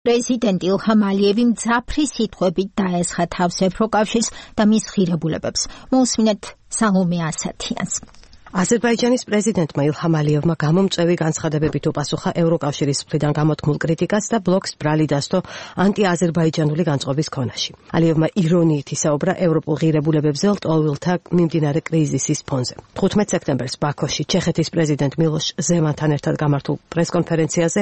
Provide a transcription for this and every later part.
პრეზიდენტი ილჰამ ალიევი მძაფრი სიტყვებით დაესხა თავს ევროკავშირს და მის ღირებულებებს. მოусმინეთ სალომე ასათიანს. აზერბაიჯანის პრეზიდენტმა ილჰამ ალიევმა გამომწვევი განცხადებებით უპასუხა ევროკავშირის მხრიდან გამოთქმულ კრიტიკას და ბლოკს ბრალი დასდო ანტიაზერბაიჯანული განწყობის ქონაში. ალიევმა ირონიით ისაუბრა ევროპულ ღირებულებებზე ლტოლვილთა მიმდინარე კრიზისის ფონზე. 15 სექტემბერს ბაქოში ჩეხეთის პრეზიდენტ მილოშ ზემანთან ერთად გამართულ პრესკონფერენციაზე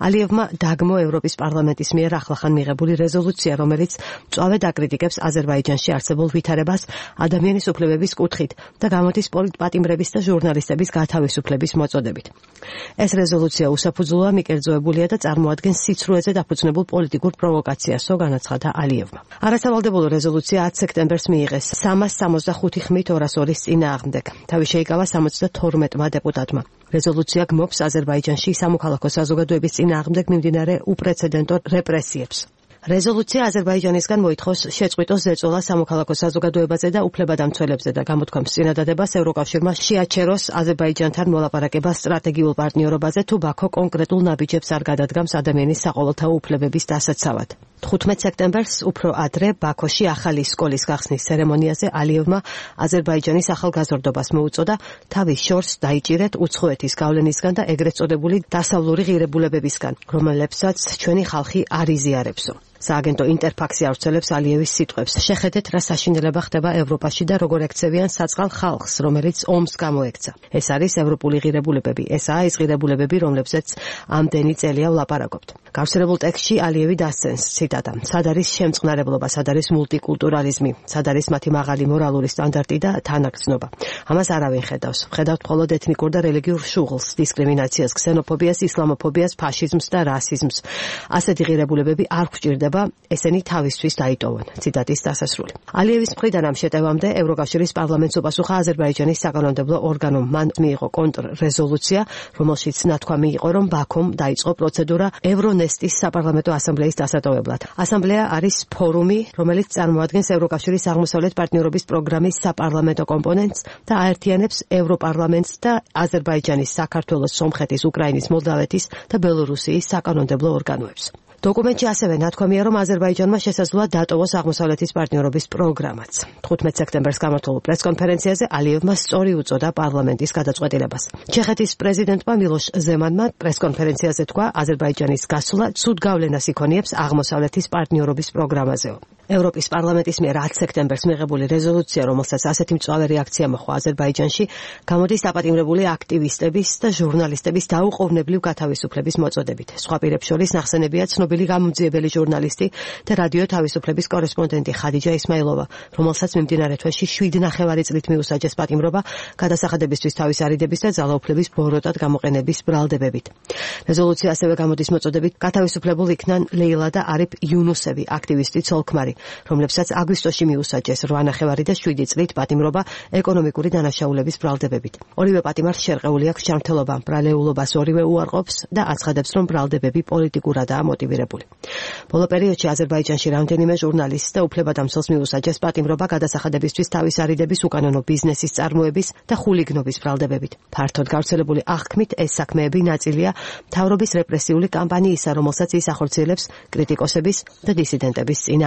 ალიევმა დაგმო ევროპის პარლამენტის მიერ ახლახან მიღებული რეზოლუცია, რომელიც მწვავედ აკრიტიკებს აზერბაიჯანში არსებულ ვითარებას ადამიანის უფლებების კუთხით და გამოდის პოლიტპატიმრების ჟურნალისტების გათავისუფლების მოწოდებით. ეს რეზოლუცია უსაფუძვლოა, მიკერძოებულია და წარმოადგენს სიცრუეზე დაფუძნებულ პოლიტიკურ პროვოკაციასო, განაცხადა ალიევმა. არასავალდებულო რეზოლუცია 10 სექტემბერს მიიღეს 365 ხმით 202-ის წინააღმდეგ. თავი შეიკავა 72-მა დეპუტატმა. რეზოლუცია გმობს აზერბაიჯანში სამოქალაქო საზოგადოების წინააღმდეგ მიმდინარე უპრეცედენტო რეპრესიებს. რეზოლუცია აზერბაიჯანისგან მოითხოვს შეწყვიტოს ზეწოლა სამოქალაქო საზოგადოებაზე და უფლებადამცველებზე და გამოთქვამს წინადადებას ევროკავშირმა შეაჩეროს აზერბაიჯანთან მოლაპარაკება სტრატეგიულ პარტნიორობაზე თუ ბაქო კონკრეტულ ნაბიჯებს არ გადადგამს ადამიანის საყოველთაო უფლებების დასაცავად. 15 სექტემბერს უფრო ადრე ბაქოში ახალი სკოლის გახსნის ცერემონიაზე ალიევმა აზერბაიჯანის ახალგაზრდობას მოუწოდა თავის შორს დაიჭირეთ უცხოეთის გავლენისგან და ეგრეთ წოდებული დასავლური ღირებულებებისგან, რომლებსაც ჩვენი ხალხი არ იზიარებსო. სააგენტო ინტერფაქსი ავრცელებს ალიევის სიტყვებს. შეხედეთ, რა საშინელება ხდება ევროპაში და როგორ ექცევიან საწყალ ხალხს, რომელიც ომს გამოექცა. ეს არის ევროპული ღირებულებები. ესაა ის ღირებულებები, რომლებზეც ამდენი წელია ვლაპარაკობთ. გავრცელებულ ტექსტში ალიევი დასცენს ციტატა: სად არის შემწყნარებლობა, სად არის მულტიკულტურალიზმი, სად არის მათი მაღალი მორალური სტანდარტი და თანაგრძნობა. ამას არავინ ხედავს. ხედავთ მხოლოდ ეთნიკურ და რელიგიურ შუღლს, დისკრიმინაციას, ქსენოფობიას, ისლამოფობიას, ფაშიზმს და რასიზმს. ასეთი ღირებულებები არ გვჭირდება, ესენი თავისთვის დაიტოვონ. ციტატის დასასრული. ალიევის მხრიდან ამ შეტევამდე ევროკავშირის პარლამენტს უპასუხა აზერბაიჯანის საკანონმდებლო ორგანომ. მან მიიღო კონტრრეზოლუცია, რომელშიც ნათქვამი იყო, რომ ბაქომ დაიწყო პროცედურა ევრონესტის საპარლამენტო ასამბლეის დასატოვებლად. ასამბლეა არის ფორუმი, რომელიც წარმოადგენს ევროკავშირის აღმოსავლეთ პარტნიორობის პროგრამის საპარლამენტო კომპონენტს და აერთიანებს ევროპარლამენტს და აზერბაიჯანის, საქართველოს, სომხეთის, უკრაინის, მოლდავეთის და ბელორუსიის საკანონმდებლო ორგანოებს. დოკუმენტში ასევე ნათქვამია, რომ აზერბაიჯანმა შესაძლოა დატოვოს აღმოსავლეთის პარტნიორობის პროგრამაც. 15 სექტემბერს გამართულ პრესკონფერენციაზე ალიევმა სწორი უწოდა პარლამენტის გადაწყვეტილებას. ჩეხეთის პრეზიდენტმა მილოშ ზემანმა პრესკონფერენციაზე თქვა, აზერბაიჯანის გასვლა ცუდ გავლენას იქონიებს აღმოსავლეთის პარტნიორობის პროგრამაზეო. ევროპის პარლამენტის მიერ 10 სექტემბერს მიღებული რეზოლუცია, რომელსაც ასეთი მწვავე რეაქცია მოჰყვა აზერბაიჯანში, გამოდის დაპატიმრებული აქტივისტების და ჟურნალისტების დაუყოვნებლივ გათავისუფლების მოწოდებით. სხვა პირებს შორის ნახსენებია ცნობილი გამომძიებელი ჟურნალისტი და რადიო თავისუფლების კორესპონდენტი ხადიჯა ისმაილოვა, რომელსაც მიმდინარე თვეში 7,5 წლით მიუსაჯეს პატიმრობა გადასახადებისთვის თავის არიდების და ძალაუფლების ბოროტად გამოყენების ბრალდებებით. რეზოლუცია ასევე გამოდის მოწოდებით გათავისუფლებულ იქნან ლეილა და არიფ იუნუსევი, აქტივისტი ცოლ-ქმარი, რომლებსაც აგვისტოში მიუსაჯეს 8,5 და 7 წლით პატიმრობა ეკონომიკური დანაშაულების ბრალდებებით. ორივე პატიმარს შერყეული აქვს ჯანმრთელობა, ბრალეულობას ორივე უარყოფს და აცხადებს, რომ ბრალდებები პოლიტიკურადაა მოტივირებული. ბოლო პერიოდში აზერბაიჯანში რამდენიმე ჟურნალისტს და უფლებადამცველს მიუსაჯეს პატიმრობა გადასახადებისთვის თავის არიდების უკანონო ბიზნესის წარმოების და ხულიგნობის ბრალდებებით. ფართოდ გავრცელებული აღქმით, ეს საქმეები ნაწილია მთავრობის რეპრესიული კამპანიისა, რომელსაც ის ახორციელებს კრიტიკოსების და დისიდენტების წინააღმდეგ.